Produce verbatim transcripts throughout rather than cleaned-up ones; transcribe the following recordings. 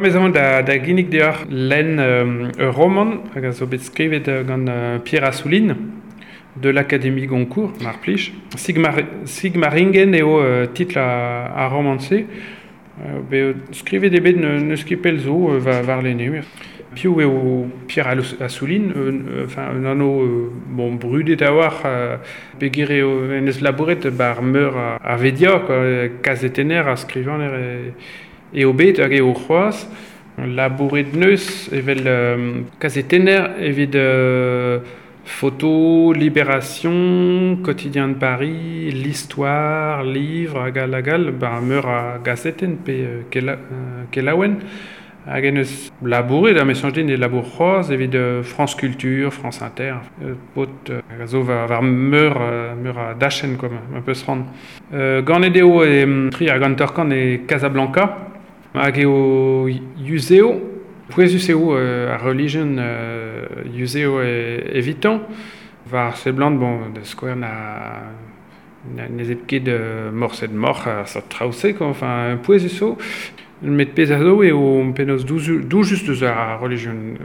Vezan da, da ginnig deoc'h lenn euh, ur roman hag a zo bet skrivet gant euh, Pierre Assouline de l'Académie Goncourt, mar plij. Sigmar, Sigmaringen eo euh, titl a, a roman-se. Euh, bet skrivet eo bet n'eus ket pell zo euh, war, war lenne. Piv eo Pierre Assouline, euh, enfin un anv euh, bon, brudet a-walc'h euh, peogwir eo en eus labouret bar meur a, a vedia, quoi, kazetenner ha skrivaner e, eo bet hag eo c'hoazh. Labouret neus evel euh, kazetenner evit euh, Photo, Libération, Quotidien de Paris, L'Histoire, Livre, hag all hag all, ba meur a gazetenn pe euh, kela, euh, kelaouenn. Hag en eus labouret, ha me soñj din e labour c'hoazh evit euh, France Culture, France Inter, euh, paotr euh, hag a zo war, war meur, euh, meur a dachenn, quoi, ma peus c'hoant. Euh, ganet eo e tri hag hanter-kant e Casablanca, hag eo yuzeo, pouezus eo euh, ar relijion euh, yuzeo e, evitañ, war seblant, bon, da skouer na, na ne zebr ket euh, morset moc'h ar seurt traoù-se, quoi, enfin, pouezus eo. Met pezh a zo eo penaos doujus deus ar relijion,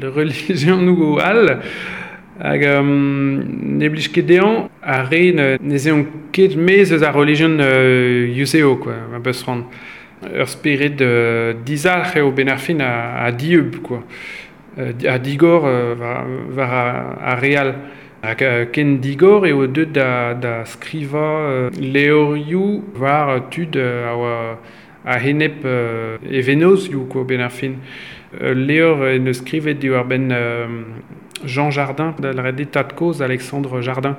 relijionoù all, hag um, ne blij ket dezhañ ar re ne, ne zeont ket maez eus ar relijion euh, yuzeo, quoi, ma peus c'hoant. Ur spered euh, dizalc'h eo ben ar fin a, a dieub, quoi. Euh, a digor euh, war, war ar, ar re all. Hag euh, ken digor eo deuet da, da skrivañ euh, levrioù war tud euh, a oa a-enep euh, e vennozioù, quoi, ben ar fin. Euh, levr en eus skrivet diwar-benn euh, Jean Jardin, da lavaret eo tad-kozh Alexandre Jardin.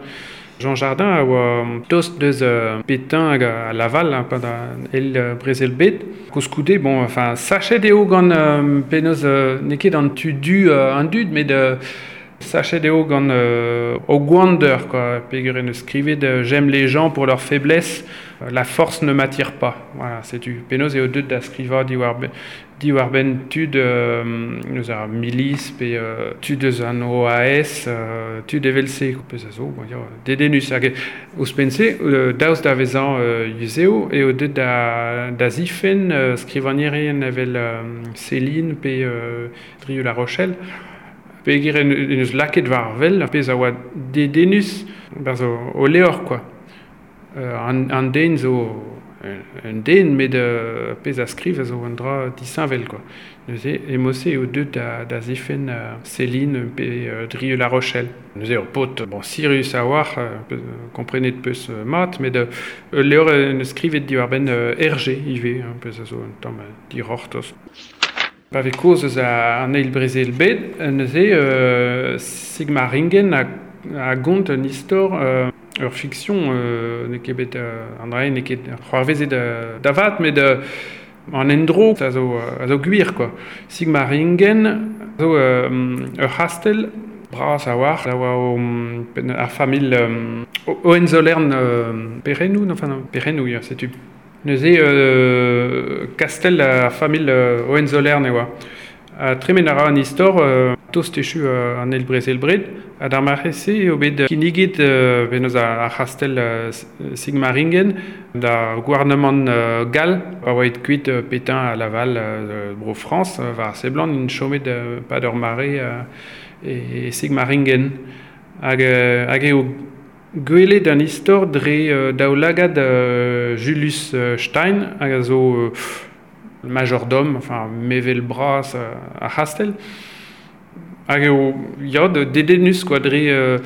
Jean Jardin a oa tost deus euh, Pétain hag a Laval, hein, pa da el euh, brezel bet. Koulskoude, bon, enfin, sachet eo gant euh, penaos euh, n'eo ket an tu du euh, an dud, met euh, sachet eo gant euh, o gwander, quoi, peogwir en eus skrivet euh, j'aime les gens pour leur faiblesse, la force ne m'attire pas. Voilà, setu penaos eo deuet da skrivañ diwar-benn diwar-benn tud euh, eus ar milis pe euh, tud eus an O A S, euh, tud evel-se, pezh a zo, bon, ya, dedennus. Hag ouzhpenn-se, euh, daoust da vezañ euh, yuzeo, eo deuet da, da zifenn euh, skrivagnerien evel euh, Céline pe euh, Drieu La Rochelle. Peogwir en, en eus lakaet war wel, pezh a oa dedennus barzh o, o levr, quoi. Euh, an, an den zo un den, met euh, pezh a skriv a zo un dra disheñvel, quoi. Neuze, e-mod-se eo deuet da, da zifenn euh, Céline pe euh, Drieu La Rochelle. Neuze ur paotr, bon, sirius a-walc'h, euh, komprenet peus euh, mat, met euh, ul levr en eus skrivet diwar-benn euh, Hergé ivez, hein, pezh a zo un tamm dic'hortoz. Pa vez kaoz eus a, an eil brezel bet, neuze euh, Sigmaringen a, a gont un istor euh, ur fiction euh, n'eo ket bet euh, an dra n'eo ket c'hoarvezet euh, da vat, met euh, an endro a zo, a zo gwir, quoi. Sigmaringen a zo euh, ur c'hastell bras a-walc'h, a oa o, ar familh euh, Hohenzollern euh, Perennoù, non, enfin non, Perennoù, ya, setu. Neuze euh, kastell ar familh euh, Hohenzollern e oa. Ha tremen a ra an istor euh, tost echu euh, an eil brezel bred, ha d'ar mare-se eo bet kinniget euh, penaos ar c'hastell euh, Sigmaringen da gouarnamant euh, gall, pa oa aet kuit euh, Pétain ha Laval euh, bro Frañs, euh, war seblant int chomet euh, pad ur mare euh, e, e Sigmaringen. Hag, euh, hag eo gwelet an istor dre euh, daoulagad euh, Julius Stein, hag a zo euh, majordome, enfin mevel bras euh, ar c'hastell. Hag eo, ya, dedennus, quoi, dre euh,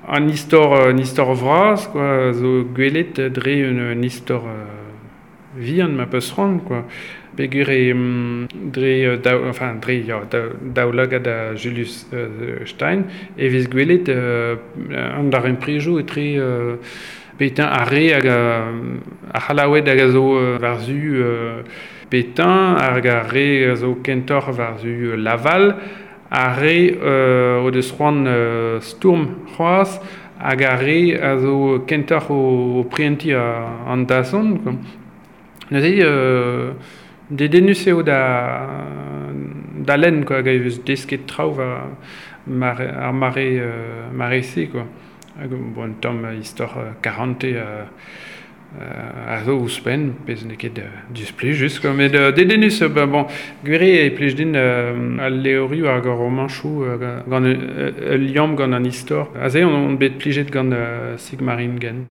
an istor, an istor vras, quoi, zo gwelet dre un, un istor euh, vihan, ma peus c'hoant, quoi. Peogwir e dre, daou, enfin, dre, ya, daoulagad a Julius euh, Stein, e vez gwelet euh, an darempredoù etre euh, Pétain ar re hag ar C'hallaoued hag a zo euh, war-zu euh, Pétain, hag ar re a zo kentoc'h war-zu Laval, ar re euh, o deus c'hoant euh, stourm c'hoazh, hag ar re a zo kentoc'h o, o prientiñ an dazont, quoi. Neuze, euh, dedennus eo da, da lenn, quoi, hag e vez desket traoù war mare, ar mare, euh, mare-se, quoi. Hag, bon, un tamm istor euh, karante euh, A zo ouzhpenn, pezh n'eo ket displijus, quoi. Met dedennus, ben bon, gwir eo e plij din al levrioù hag ar romanchoù gant ul liamm gant an istor. Aze on bet plijet gant Sigmaringen.